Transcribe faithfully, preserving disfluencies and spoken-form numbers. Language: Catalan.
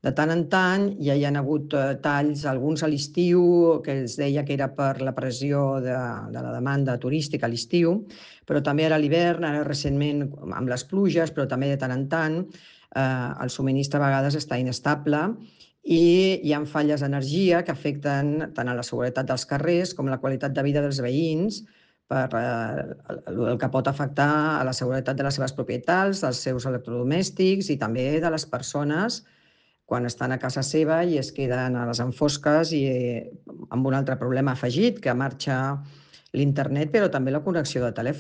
De tant en tant ja hi ha hagut talls, alguns a l'estiu, que es deia que era per la pressió de, de la demanda turística a l'estiu, però també ara a l'hivern, ara recentment amb les pluges, però també de tant en tant, eh, el subministre a vegades està inestable i hi ha falles d'energia que afecten tant a la seguretat dels carrers com la qualitat de vida dels veïns, per eh, el que pot afectar a la seguretat de les seves propietats, dels seus electrodomèstics i també de les persones quan estan a casa seva i es queden a les enfosques i amb un altre problema afegit, que marxa l'internet, però també la connexió de telèfon.